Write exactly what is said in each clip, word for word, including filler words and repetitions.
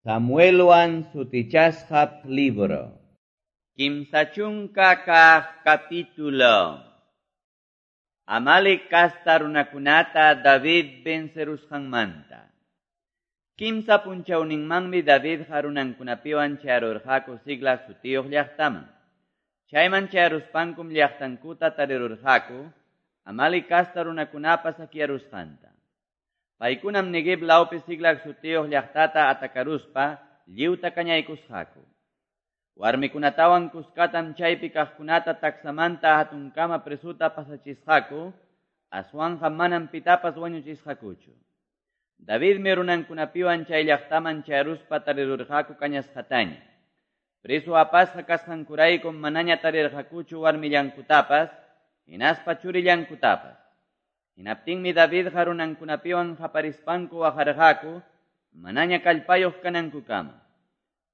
Samuelwan sutichasqa libro. Kimsa chunka kaq capítulo. Amalek kasta runakunata David vencerusqanmanta. Kimsa punchawninmanmi Davidqa runankunapiwan chayarurqaku Siclag sutiyuq llaqtaman. Chayman chayaruspankum llaqtankuta tarirurqaku Amalek kasta runakunapa sakyarusqanta. Paykunam Neguev lawpi Siclag sutiyuq llaqtata atakaruspa lliwta kañaykusqaku. Warmikunatawan kuskatam chaypi kaqkunata taksamanta hatunkama presuta pasachisqaku, aswanqa manam pitapas wañuchisqakuchu. Davidmi runankunapiwan chay llaqtaman chayaruspa tarirurqaku kañasqataña. Preso apasqa kasqankuraykum manaña tarirqakuchu warmillankutapas, hinaspa churillankutapas. Hinaptinmi Davidqa runankunapiwan qaparispanku waqarqaku, manaña kallpayuq kanankukama.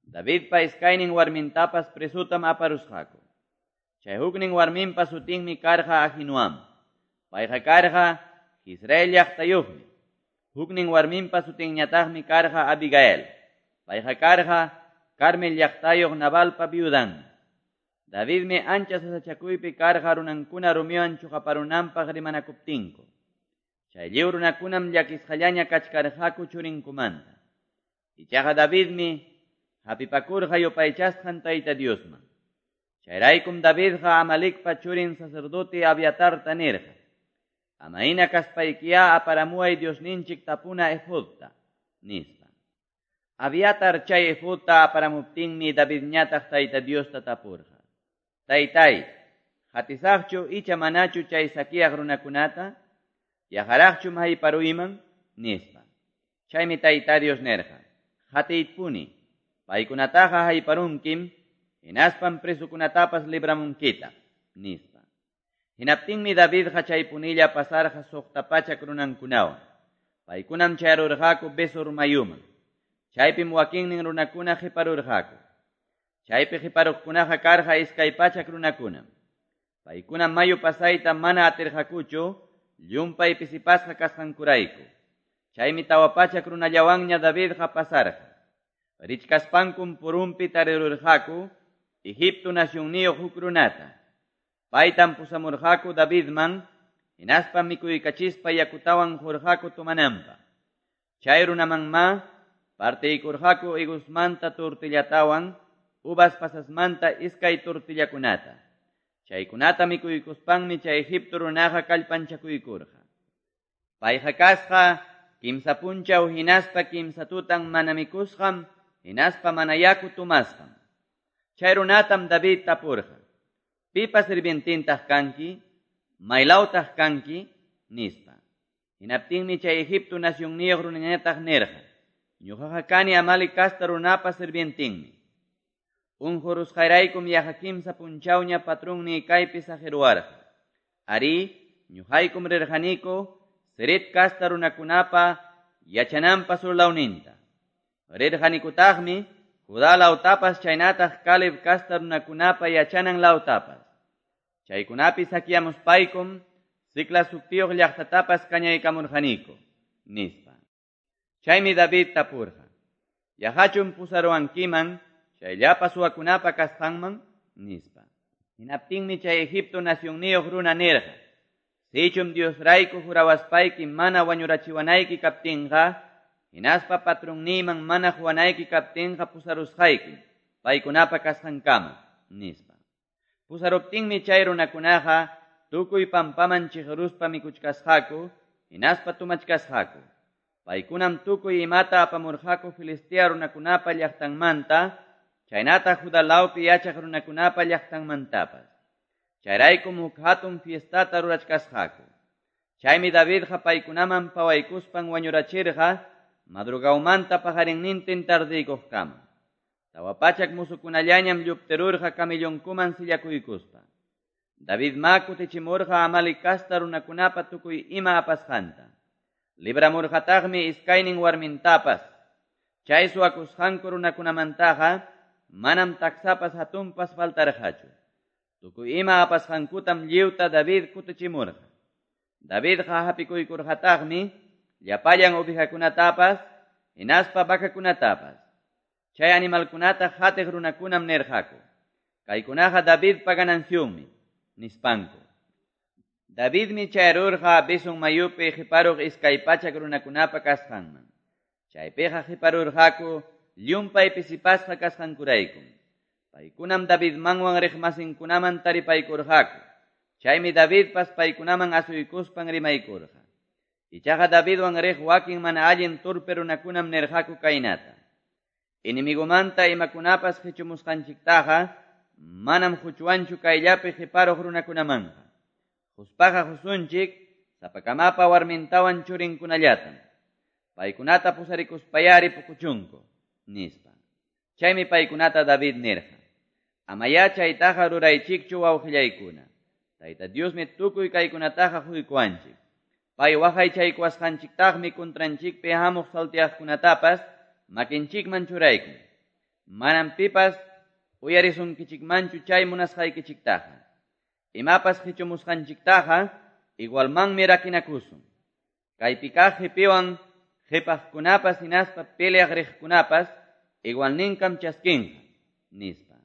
Davidpa iskaynin warmintapas presutam aparusqaku. Chay huknin warminpa sutinmi karqa Ahinoam. Payqa karqa Israel llaqtayuqmi. Huknin warminpa sutinñataqmi karqa Abigail. Payqa karqa Carmel llaqtayuq Nabalpa viudanmi. Davidmi ancha sasachakuypi karqa runankuna rumiwan chuqaparunanpaq rimanakuptinku. Chay lliw runakunam llakisqallaña kachkarqaku churinkumanta. Ichaqa Davidmi hapipakurqa yupaychasqan Tayta Diosman. Chayraykum Davidqa Amalekpa churin sacerdote Abiatarta nirqa: Amayna kaspaykiya aparamuway Diosninchik tapuna efodta, nispa. Abiatar chay efodta aparamuptinmi Davidñataq Tayta Diosta tapurqa: Taytay, hatisaqchu icha manachu chay sakyaq runakunata? Yaqaraqchum hayparuyman? Nispa. Chaymi Tayta Dios nirqa: Hatiypuni, paykunataqa hayparunkim, hinaspam presukunatapas libramunkita, nispa. Hinaptinmi Davidqa chaypunilla pasarqa suqta pachak runankunawan. Paykunam chayarurqaku Besor mayuman. Chaypim wakinnin runakuna qiparurqaku. Chaypi qiparuqkunaqa karqa iskay pachak runakunam. Paykunam mayu pasayta mana atirqakuchu, llumpay pisipasqa kasqankurayku. Chaymi tawa pachak runallawanña Davidqa pasarqa. Richkaspankum purumpi tarirurqaku Egipto nacionniyuq huk runata. Paytam pusamurqaku Davidman, hinaspa mikuykachispa yakutawan qurqaku tumananpaq. Chay runamanma partiykurqaku higosmanta tortillatawan, uvas pasasmanta iskay tortillakunata. Chaykunata mikuykuspanmi chay Egipto runaqa kallpanchakuykurqa. Payqa kasqa kimsa punchaw hinaspa kimsa tutan mana mikusqam, hinaspa mana yaku tumasqam. Chay runatam David tapurqa: Pipa sirvientintaq kanki? Maylawtaq kanki? Nispa. Hinaptinmi chay Egipto nacionniyuq runañataq nirqa: Ñuqaqa kani Amalek kasta runapa sirvientinmi. Unqurusqayraykum yaqa kimsa punchawña patrunniy kaypi saqiruwarqa. Arí, ñuqaykum rirqaniku Ceret kasta runakunapa yachananpa surlawninta. Rirqanikutaqmi Judá lawtapas chaynataq Caleb kasta runakunapa yachanan lawtapas. Chaykunapi sakyamuspaykum Siclag sutiyuq llaqtatapas kañaykamurqaniku, nispa. Chaymi David tapurqa: Yaqachum pusaruwankiman chay llapa suwakunapa kasqanman? Nispa. Hinaptinmi chay Egipto nacionniyuq runa nirqa: Sichum Diosrayku jurawaspayki mana wañurachiwanayki kaptinqa, hinaspa patrunniyman mana quwanayki kaptinqa pusarusqaykim paykunapa kasqankama, nispa. Pusaruptinmi chay runakunaqa tukuy pampaman chiqruspa mikuchkasqaku, hinaspa tumachkasqaku. Paykunam tukuy imata apamurqaku Filistea runakunapa llaqtanmanta, chaynataq Judá lawpi yachaq runakunapa llaqtanmantapas. Chayraykum huk hatun fiestata rurachkasqaku. Chaymi Davidqa paykunaman pawaykuspan wañurachirqa madrugawmanta paqarinnintin tardiykuqkama. Tawa pachak musukunallañam lluptirurqa camellonkuman sillakuykuspa. Davidma kutichimurqa Amalek kasta runakunapa tukuy ima apasqanta. Libramurqataqmi iskaynin warmintapas. Chay suwakusqanku runakunamantaqa manam taksapas hatunpas faltarqachu. Tukuy ima apasqankutam lliwta David kutichimurqa. Davidqa hapikuykurqataqmi llapallan ovejakunatapas, hinaspa vacakunatapas. Chay animalkunata qatiq runakunam nirqaku: "Kaykunaqa Davidpa ganacionmi", nispanku. Davidmi chayarurqa Besor mayupi qiparuq iskay pachak runakunapa kasqanman. Chaypiqa qiparurqaku llumpay pisipasqa kasqankuraykum. Paykunam Davidmanwan riqmasinkunaman taripaykurqaku. Chaymi Davidpas paykunaman asuykuspan rimaykurqa. Ichaqa Davidwan riq wakin mana allin torpe runakunam nirqaku kaynata: "Enemigomanta imakunapas qichumusqanchiktaqa manam quchwanchu kayllapi qiparuq runakunamanqa. Quspaqa qusunchik sapakamapa warmintawan churinkunallatam. Paykunata pusarikuspayari pukuchunku", nispa. Chaymi paykunata David nirqa: "Amayá chaytaqa ruraychikchu, wawqillaykuna. Tayta Diosmi tukuy kaykunataqa quykuwanchik. Pay waqaychaykuwasqanchiktaqmi contranchikpi hamuq salteaqkunatapas makinchikman churaykun. Manam pipas uyarisunkichikmanchu chay munasqaykichiktaqa. Imapas qichumusqanchiktaqa igualmanmi rakinakusun. Kaypi kaq qipiwan qipaqkunapas hinaspa peleaq riqkunapas igualninkam chaskinqa", nispa.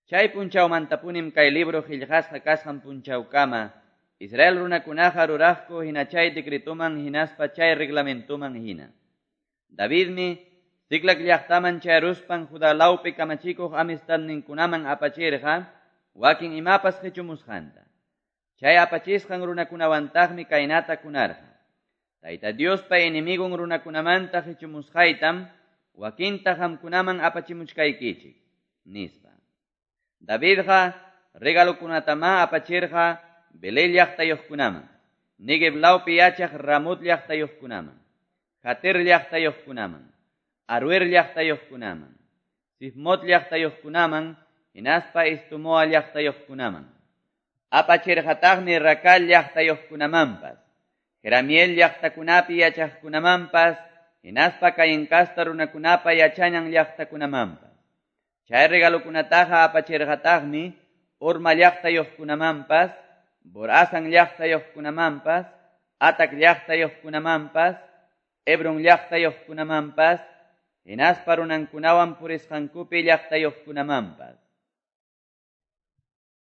Chay punchawmantapunim kay libro qillqasqa kasqan punchawkama Israel runakunaqa ruraqku hina chay decretoman hinaspa chay reglamentoman hina. Davidmi Ziclag llaqtaman chayaruspan Judá lawpi kamachikuq amistadninkunaman apachirqa wakin imapas qichumusqanta. Chay apachisqan runakunawantaqmi kaynata kunarqa: "Tayta Diospa enemigon runakunamanta qichumusqaytam wakinta qamkunaman apachimuchkaykichik", nispa. Davidqa regalokunatamá apachirqa Belén llaqtayuqkunaman, Neguev lawpi yachaq Ramot llaqtayuqkunaman, Jatir llaqtayuqkunaman, Aroer llaqtayuqkunaman, Sifmot llaqtayuqkunaman, hinaspa Estomoa llaqtayuqkunaman. Apachirqataqmi Racal llaqtayuqkunamanpas, Jeramiel llaqtakunapi yachaqkunamanpas, hinaspa Caín casta runakunapa yachanan llaqtakunamanpas. Chay regalokunataqa apachirqataqmi Horma llaqtayuqkunamanpas, Borasan llaqtayuqkunamanpas, Atac llaqtayuqkunamanpas, Hebron llaqtayuqkunamanpas, hinaspa runankunawan purisqankupi llaqtayuqkunamanpas.